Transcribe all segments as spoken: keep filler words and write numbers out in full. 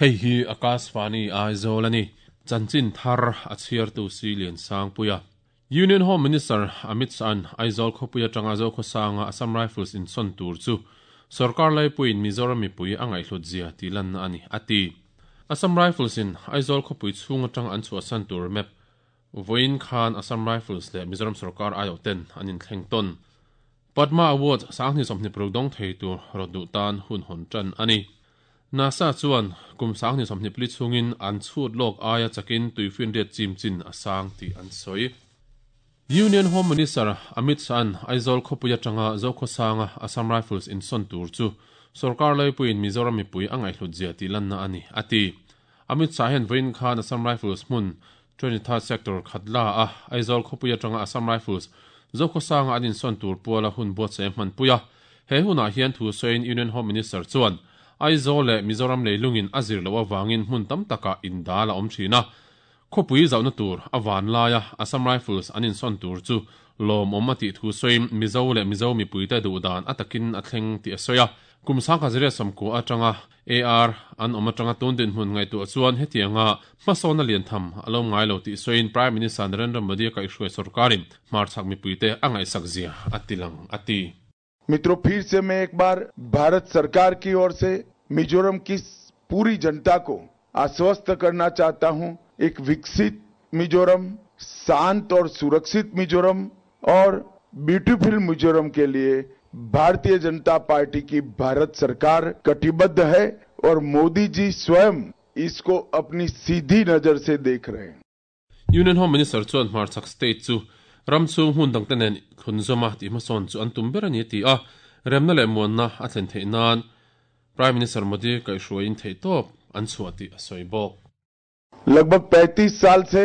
Hei hi Akashvani Aizawl ani. Chanchin thar a chhiartu si lian sang puia. Union Home Minister Amit Shah Aizawl khawpui atanga Zokhawsanga Assam Rifles in son tur chu Sarkar laipuiin Mizoram mipui a ngaihhlut zia tih lanna ani ati. Assam Rifles in Aizawl khawpui chhung atang an chhuahsan tur map vawiin khan Assam Rifles leh Mizoram Sarkar aiawh ten an inthleng tawn. Padma Award sanghnih sawmhnih paruk dawng thei tur rawt duh tan hun hawn tan ani. NASA chuan kum sanghnih sawmhnih pali chhungin an chhut lawk aia chakin tuifin riat chim chin a sang tih an sawi. Union Home Minister Amit Shah Aizawl khawpui atanga Zokhawsanga Assam Rifles in son tur chu Sarkar laipuiin Mizoram mipui a ngaihhlut zia tih lanna ani ati. Amit Shah hian vawiin khan Assam Rifles hmun twenty-third Sector Khatla a Aizawl khawpui atanga Assam Rifles Zokhawsanga an insawn tur puala hun buatsaih hman puia. He hunah hian thu sawiin Union Home Minister chuan Aizawl leh Mizoram leilungin a zir lo awangin hmun tam taka indal a awm thin a. Khawpui zauhna tur a van laia Assam Rifles an insawn tur chu lawm awm a tih thu sawiin Mizo leh Mizo mipuite duh dan a takin a thleng tih a sawi a. Kum sangkha zariat sawmkua atanga A R an awm atanga tun dinhmun ngaihtuah chuan hetianga hmasawn a lian tham a lo ngai lo tih sawiin Prime Minister Narendra Modi a kaihhruai sarkarin hmarchhak mipuite a ngaihsak zia a ti lang a ti. मित्रों, फिर से मैं एक बार भारत सरकार की ओर से मिजोरम की पूरी जनता को आश्वस्त करना चाहता हूं। एक विकसित मिजोरम, शांत और सुरक्षित मिजोरम और ब्यूटीफुल मिजोरम के लिए भारतीय जनता पार्टी की भारत सरकार कटिबद्ध है और मोदी जी स्वयं इसको अपनी सीधी नजर से देख रहे हैं। Union Home Minister chuan hmarchhak state chu ram chung hmun dangte nen khunzawma tih hmasawn chu an tum ber ani ti a. Remna leh muanna a thlen theih nan Prime Minister Modi kaihhruaiin theih tawp an chhuah tih a sawi bawk. लगभग पैंतीस साल से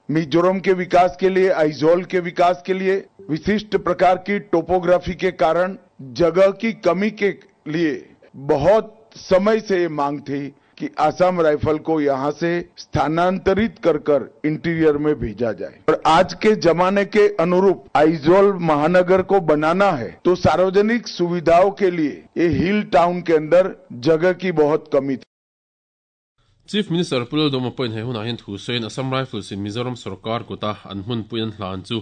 मिजोरम के विकास के लिए, आइजोल के विकास के लिए विशिष्ट प्रकार की टोपोग्राफी के कारण जगह की कमी के लिए बहुत समय से ये मांग थी कि आसाम राइफल को यहाँ से स्थानांतरित कर कर इंटीरियर में भेजा जाए। और आज के जमाने के अनुरूप आइजोल महानगर को बनाना है तो सार्वजनिक सुविधाओं के लिए ये हिल टाउन के अंदर जगह की बहुत कमी थी। Chief Minister Pu Lalduhoma pawhin he hunah hian thu sawiin Assam Rifles in Mizoram Sarkar kuta an hmun pui an hlan chu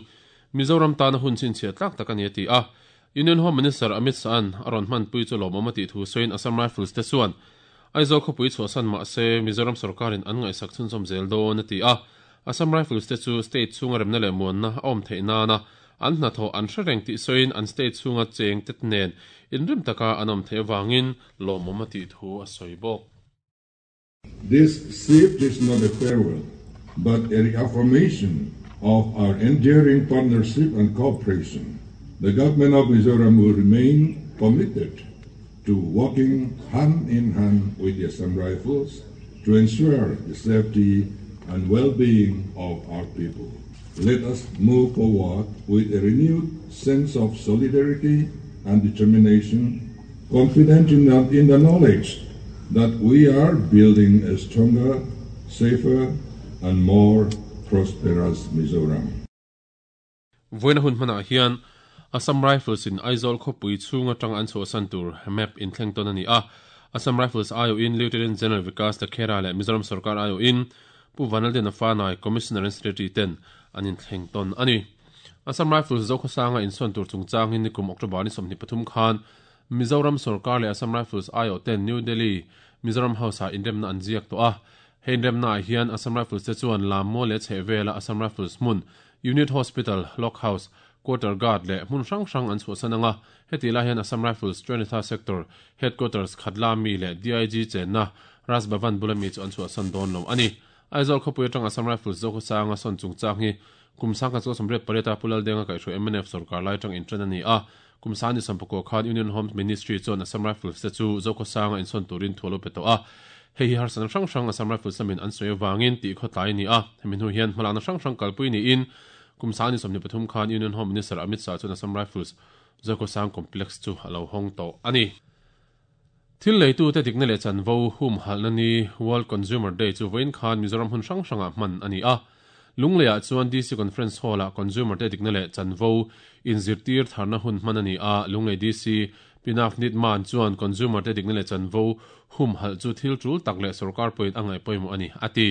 Mizoram tana hun chhinchhiah tlak tak ani a ti a. Union Home Minister Amit Shah an a rawn hman pui chu lawmawm a tih thu sawiin Assam Rifles te chuan Aizawl khawpui chhuahsan mah se Mizoram Sarkarin an ngaihsak chhunzawm zel dawn a ti a. Assam Rifles te chu state chhunga remna leh muanna a awm theih nana an hnathawh an hre reng tih sawiin an state chhunga cheng tet nen inrim taka an awm theih awangin lawmawm a tih thu a sawi bawk. This shift is not a farewell, but a reaffirmation of our enduring partnership and cooperation. The government of Mizoram will remain committed to working hand in hand with the Assam Rifles to ensure the safety and well-being of our people. Let us move forward with a renewed sense of solidarity and determination, confident in the, in the knowledge that we are building a stronger, safer, and more prosperous Mizoram. Vawiin hun hmanah hian Assam Rifles in Aizawl khawpui chhung atang an chhuahsan tur map inthleng tawn ani a. Assam Rifles aiawhin Lieutenant General Vikas Lakhera leh Mizoram Sarkar aiawhin Pu Vanlalden Fanai Commissioner and Secretary ten an inthleng tawn ani. Assam Rifles Zokhawsanga insawn tur chungchangin nikum October ni sawmhnih pathum khan Mizoram Sarkar leh Assam Rifles aiawh ten New Delhi Mizoram House ah inremna an ziak tawh a. He inremna ah hian Assam Rifles te chuan Lammaw leh chhehvela Assam Rifles hmun Unit Hospital, Lock House, Quarter Guard leh hmun hrang hrang an chhuahsan anga. Heti lai hian Assam Rifles twenty-third Sector Headquarters Khatla mi leh D I G chenna Raj Bhavan bula mi chu an chhuahsan dawn lo ani. Aizawl khawpui atang Assam Rifles Zokhawsanga sawn chungchang hi kum sangkhat chu sawmriat pariat Pu Laldenga kaihhruai M N F sarkar lai atang intran ani a. Kum sani sampakua khan Union Home Ministry chuan Assam Rifles te chu Zokhawsanga insawn turin thu lo pe tawh a. Hei hi harsan hrang hrang Assam Rifles lamin an sawi awangin tih khawtlai ni a. Hemi hnu hian hmalakna hrang hrang kalpui niin kum sani sawmhnih pathum khan Union Home Minister Amit Shah chuan Assam Rifles Zokhawsang Complex chu a lo hawng tawh ani. Thil leitu te dikna leh chanvo hum halna ni World Consumer Day chu vawiin khan Mizoram hun hrang hrangah hman ani a. Lungleiah chuan D C Conference Hall ah Consumer te dikna leh chanvo inzirtir tharna hun hman ani a. Lunglei D C Pinafnit man chuan consumer te dikna leh chanvo hum hal chu thil tul tak leh sarkar point angai poimo ani ati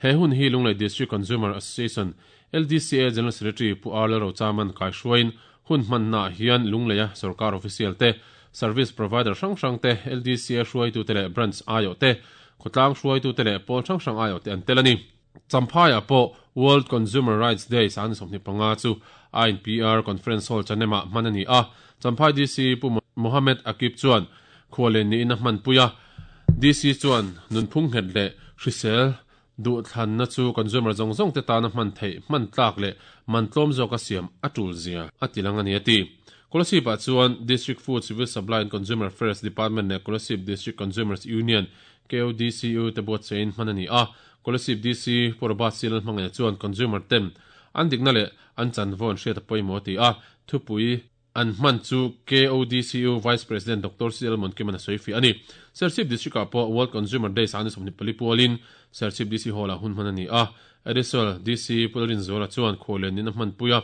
he hun hi Lunglei District Consumer Association L D C A General Secretary Pu Arla Rochaman kai hruain hun hman na hian Lungleia sarkar official te service provider hrang hrang te L D C A hruai tu te leh branch ayo te khotlang hruai tu te leh pawl hrang hrang ayo te an telani Champhai po World Consumer Rights Day san somni panga chu I N P R Conference Hall chanema manani a Champhai D C Pu Mohammed Akib chuan khwalen ni in man puya D C chuan nunphung het le hrisel du thlan na chu consumer zong zong te ta na man thei man tlak le man tlom zo ka siam atul zia atilang ani ati Kolasib a chuan District Food Civil Supply and Consumer Affairs Department ne Kolasib District Consumers Union K O D C U te bot chain manani a Kolasib D C Porobat sil mangaya chuan consumer tem an dikna le an chanvon hriat poimo ti a thupui an man chu K O D C U Vice President Doctor C L Monkimana Soifi ani Serchhip District po World Consumer Day san somni palipualin Serchhip D C Hall a hun manani a Additional D C Pulrin Zola chuan kholen ni na man puya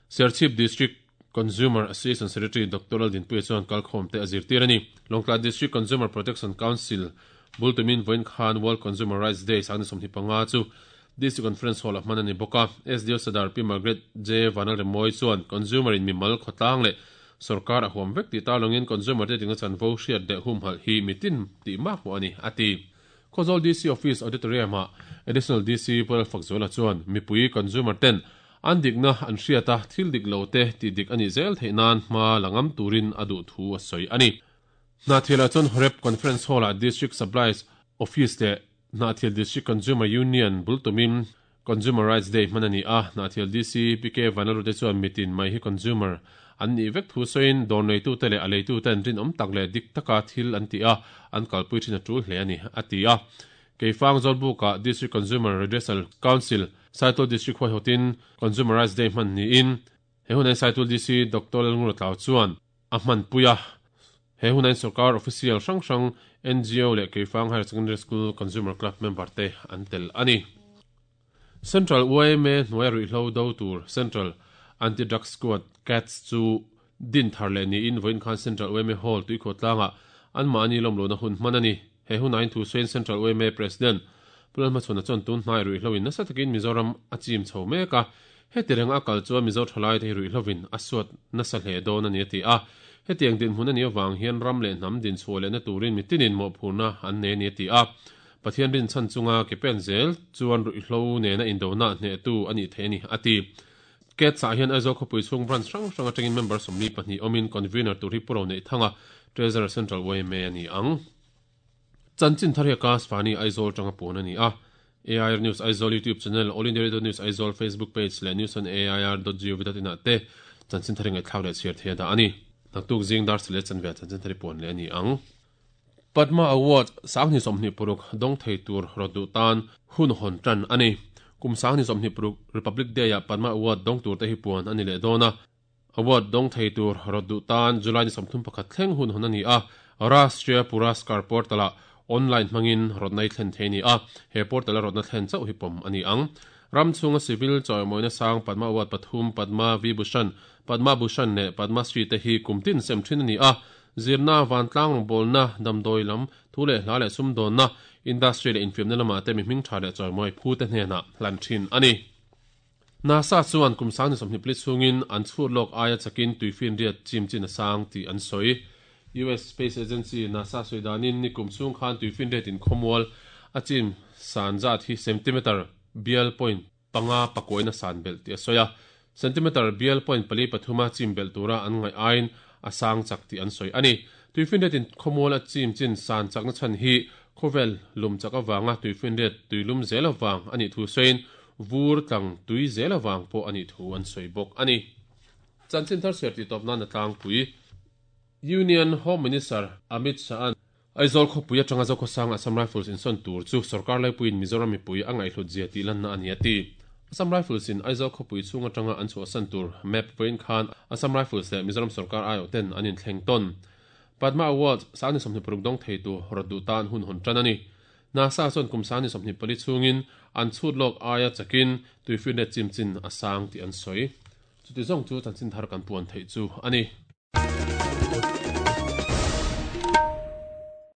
Serchhip District Consumer Association Secretary Doctor Aldin Puya chuan kalkhom te azir tirani Longtla District Consumer Protection Council Bultumin Voin Khan World Consumer Rights Day san somni panga chu District Conference Hall of Manani Boka S D O Sadar P Margaret J Vanal Remoy chuan consumer in mimal khotlang le sarkar a huam vek ti talongin consumer te tinga chanvo hriat de hum hal hi mitin ti mak mo ani ati Khawzawl D C Office Auditorium a Additional D C Paul Fakzola chuan mipui consumer ten an dikna an hriata thil dik lo te ti dik ani zel theinan hma langam turin adu thu a soi ani Hnahthial chuan Horep Conference Hall a District Supplies Office le Hnahthial District Consumer Union bultumin Consumer Rights Day manani a Hnahthial D C P K Vanaru te chuan mitin mai hi consumer an ni vek thu soin dawr nei tu te leh a lei tu ten rin awm tak leh dik taka thil an ti a an kalpui thin a tul hle ani ati a Keifang Zawlbuk a District Consumer Redressal Council Saitual District huai hotin Consumer Rights Day hman niin he hunai Saitual D C Doctor Lalngura Tlau chuan a hman puia he hunai sarkar official hrang hrang N G O leh Keifang Higher Secondary School Consumer Club member te an tel ani Central U M A hnuai ruihhlo do tur Central Anti-Drug Squad C A T S chu din thar leh niin voin khan Central U M A Hall tuikhaw an mahni lawm lo na hun hman ani he hunain thu sawiin Central U M A President Pulal Hmachhawn chuan tun hnai ruihhlo in nasa takin Mizoram a chim chho mek a heti reng a kal chuan Mizo thalai te hi ruihhlovin a suat nasa hle dawn ani ati a hetiang din hmun ani awang hian ram leh hnam din chhuah leh na turin mitinin mawhphurna an nei ani ati a Pathian rin chan chunga ke pen zel chuan ruihhlo nena indona hne tu ani thei ani ati C A T S ah hian Aizawl khawpui chhung branch hrang hrang atangin member sawmli pahnih awmin convener tur hi puro nei thanga Treasurer Central U M A ani ang Chanchin thar hi ka Sfani Aizawl tanga pun ani a A I R News Aizawl YouTube channel All India Radio News Aizawl Facebook page leh news on A I R dot gov dot in ah te chanchin thar ngai thlau leh chhiar thei da ani naktuk zing dar sile chanve chanchin thar pun le ani ang Padma Award sangni somni puruk dong thei tur rodu tan hun hon tan ani kum sangni somni puruk Republic Day a Padma Award dong tur te hi puan ani le dona Award dong thei tur rodu tan July ni somthum pakhat thleng hun hon ani a Rashtriya Puraskar Portal online mangin rodnai thlen thei ni a he portal rodna thlen chau hi pom ani ang ramchunga civil choimoina sang Padma Award pathum Padma Vibhushan Padma Bhushan ne Padma Shri te hi kumtin sem thin ani a zirna vantlang bolna damdoi lam thule hla le sumdon na industry le infim na lama te mi hming tha le choimoi phu te hne na hlan thin ani NASA chuan kumsang ni somni pli chungin an chhur lok aya chakin tuifin riat chim chin sang ti an soi U S Space Agency NASA soidanin ni kumchung khan tuifin riat in khomwal achim sanjat hi centimeter bial point panga pakoina san bel ti soya centimeter bial point pali pathuma chim bel tura an ngai ain asang chak ti an soi ani tuifin riat in khomwal achim chin san chak na chan hi khovel lum chak awanga tuifin riat tuilum zel awang ani thu soin vur tlang tui zel awang po ani thu an soi bok ani chanchin thar serti topna na tlang pui Union Home Minister Amit Shah Aizawl khawpui atanga Zokhawsang Assam Rifles in son tur chu sarkar laipuiin Mizoram mipui a ngaihhlut zia tih lanna ani ati Assam Rifles in Aizawl khawpui chhung atanga an chhuah san tur map puiin khan Assam Rifles leh Mizoram sarkar aiawh ten an inthleng tawn Padma Award sangni sawmhnih paruk dawng thei tu rawt duh tan hun hawn tan ani NASA chuan kum sangni sawmhnih pali chhungin an chhut lawk aia chakin tuifinriat chim chin a sang tih an sawi chuti zawng chu chanchin thar kan puan theih chu ani.